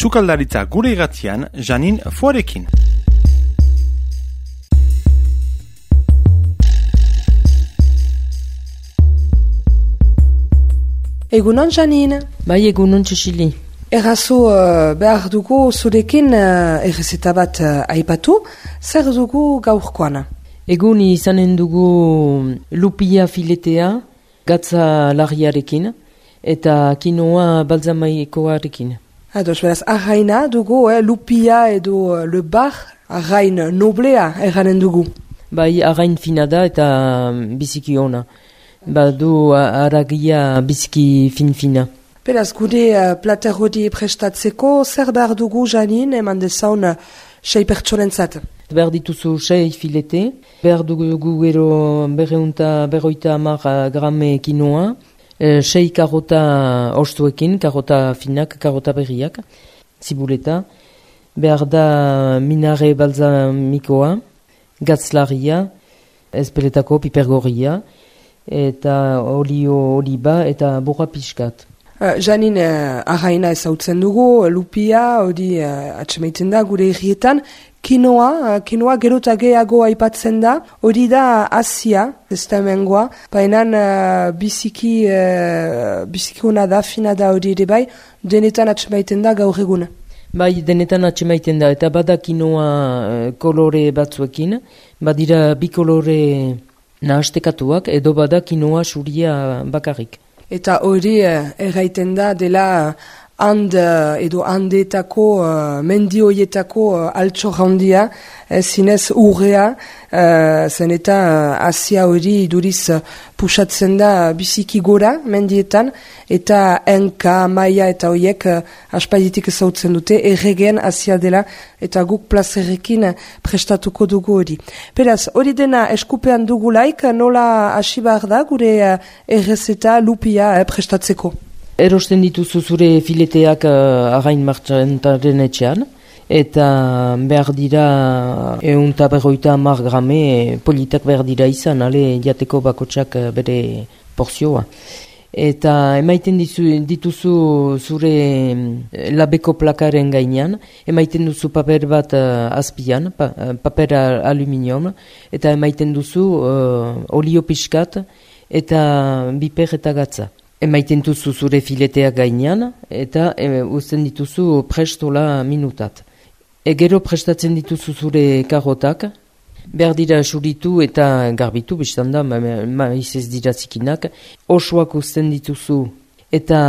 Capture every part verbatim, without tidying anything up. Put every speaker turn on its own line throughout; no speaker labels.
Sukaldaritza gure irratian, Janin Foarekin.
Egunon, Janin.
Bai, egunon, Txosili.
Errazu uh, behar dugu zurekin uh, errezeta bat uh, aipatu, zer dugu gaurkoana?
Egun izanen dugu lupia filetea, gatza larriarekin, eta kinoa balzamaikoarekin.
Ados, beraz, arraina dugu, eh, lupia edo uh, le bar, arrain noblea erranen dugu.
Bai, arrain fina da eta biziki ona. Badu aragia biziki fin-fina.
Beraz, gure uh, plater hori prestatzeko, zer behar dugu, Janin, eman dezaun uh, sei pertsonentzat?
Behar dituzu sei filete, behar dugu gero berreunta berroita amar grame kinoa, e, sei karota ostuekin, karota finak, karota berriak, zibuleta, behar da minare balzamikoa, gatzlaria, ezpeletako pipergorria, eta olio oliba eta burra pixkat.
Uh, Janin, uh, arraina ezautzen dugu, lupia, hori uh, atxemaiten da gure herrietan, kinoa, uh, kinoa gero eta gehiago aipatzen da, hori da Asia, ez da hemengoa, baina uh, biziki, uh, biziki hona da, fina da hori ere bai, denetan atxemaiten da gaur egun.
Bai, denetan atxemaiten da, eta bada kinoa uh, kolore batzuekin, badira bi kolore nahastekatuak, edo bada kinoa suria bakarrik.
Eta hori uh, erraiten da dela hand uh, edo handetako, uh, mendioietako uh, altxor handia, eh, zinez urrea, uh, zen eta uh, Asia hori iduriz uh, pusatzen da biziki gora mendietan, eta enka, maia eta horiek uh, aspalditik ezautzen dute, erregen Asia dela, eta guk plazerrekin uh, prestatuko dugu hori. Beraz, hori dena eskupean dugulaik, nola hasi behar da gure uh, errezeta lupia uh, prestatzeko?
Erosten dituzu zure fileteak uh, arrain martxantaren etxean, eta behar dira eunta berroita amar grame politak behar dira izan, ale jateko bakotsak bere porzioa. Eta emaiten dizu, dituzu zure labeko plakaren gainean, emaiten duzu paper bat uh, azpian, pa, paper aluminium, eta emaiten duzu uh, olio pixkat eta biper eta gatza. Emaiten duzu zure fileteak gainean, eta e, uzten dituzu prestola minutat. Egero prestatzen dituzu zure karotak, behar dira suritu eta garbitu, biztan da, maiz ez dira zikinak, osoak uzten dituzu, eta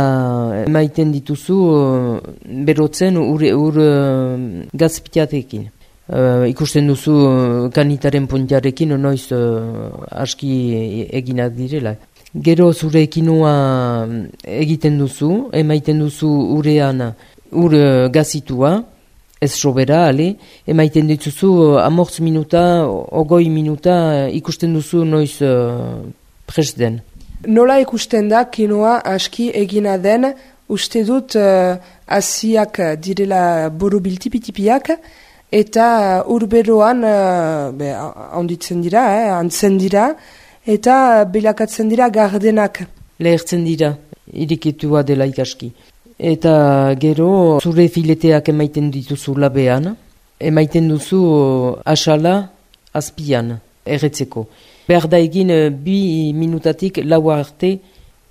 emaiten dituzu berotzen ur, ur gazpitiatekin. Uh, ikusten duzu kanitaren puntiarekin, noiz uh, aski eginak direla. Gero zure kinoa egiten duzu, emaiten duzu urean ur gazitua, ez sobera, ale, emaiten dituzu amortz minuta, ogoi minuta ikusten duzu noiz uh, prest den.
Nola ikusten da kinoa aski egina den, uste dut uh, asiak direla borobiltipitipiak, eta urberoan uh, onditzen dira, eh, antzen dira, eta belakatzen dira gardenak.
Lehertzen dira, irikitua dela ikaski. Eta gero zure fileteak emaiten dituzu labean, emaiten duzu asala azpian, erretzeko. Behar da egin bi minutatik lau arte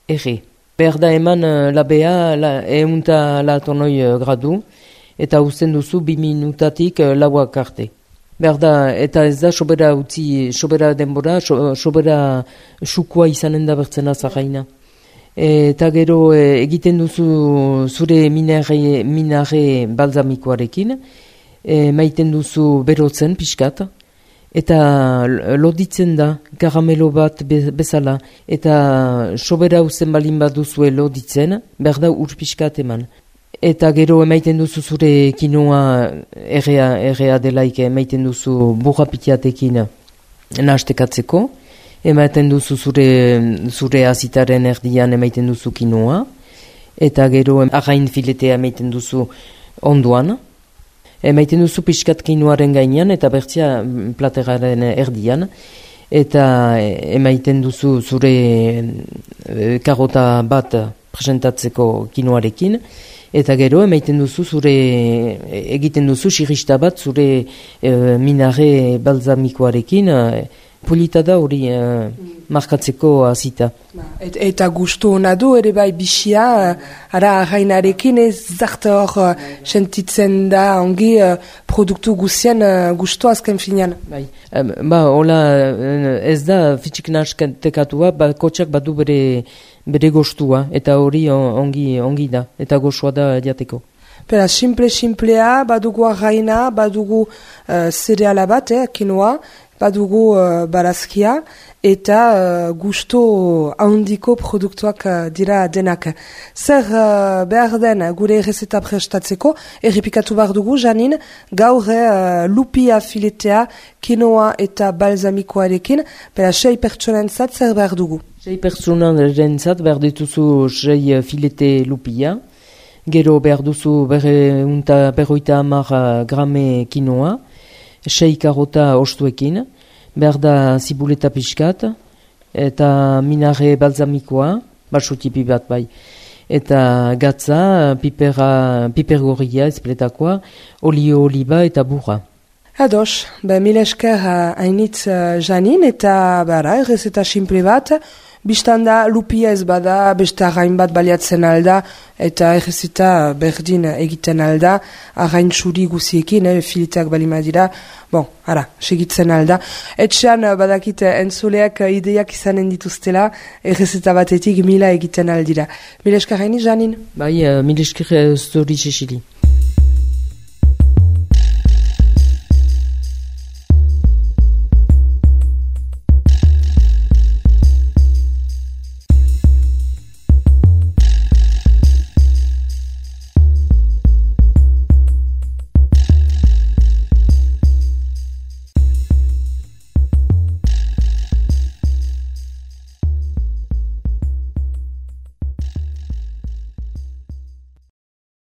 erre. Behar da eman labea la, eunta latonoi gradu, eta uzten duzu bi minutatik lauak arte. Behar da, eta ez da sobera utzi, sobera denbora, so, sobera sukua izanen da bertzen azarraina. Eta gero e, egiten duzu zure minare, minare balzamikoarekin, e, maiten duzu berotzen pixkat, eta loditzen da, karamelo bat be, bezala, eta sobera uzen balin bat duzue loditzen, behar da ur pixkat eman. Eta gero emaiten duzu zure kinoa errea, errea delaik emaiten duzu burra pitiatekin nahastekatzeko. Emaiten duzu zure, zure azitaren erdian emaiten duzu kinoa. Eta gero arrain filetea emaiten duzu onduan. Emaiten duzu pixkat kinoaren gainean eta bertzia plateraren erdian. Eta emaiten duzu zure karota bat presentatzeko kinoarekin. Eta gero, emaiten duzu zure, egiten duzu sirista bat zure e, minare balzamikoarekin, e, polita da hori e, markatzeko azita.
Et, eta gustu hona du, ere bai bixia, ara arrainarekin ez zarte hor sentitzen da ongi produktu guzien gustu azken finean.
Bai, ba, hola ez da fitxik naskantekatua, ba, kotxak badu bere bere gostua, eta hori ongi, ongi da, eta gozoa da jateko.
Pera, simple-simplea, badugu arraina, badugu uh, zereala bat, eh, kinoa, badugu uh, barazkia, eta uh, gusto handiko produktuak uh, dira denak. Zer uh, behar den gure errezeta prestatzeko, errepikatu behar dugu, Janin, gaur uh, lupia filetea, kinoa eta balzamikoarekin, pera, sei pertsonentzat zer behar dugu.
Sei pertsonentzat behar dituzu sei filete lupia, gero behar duzu berroita hamar grame kinoa, sei karota ostuekin, behar da zibuleta pixkat, eta minare balzamikoa, basutipi bat bai, eta gatza, pipera, piper gorria ezpletakoa, olio oliba eta burra.
Ados, be mil esker hainitz uh, Janin, eta bara, errezeta simple bat, biztanda lupia ez bada, beste arrain bat baliatzen alda, eta errezeta berdin egiten alda, arrain txuri guziekin, eh, filiteak balima dira, bon, ara, segitzen alda. Etxean badakit entzuleak ideiak izanen dituztela, errezeta batetik mila egiten aldira. Mil esker haini, Janin?
Bai, uh, mil esker zuri Cecili.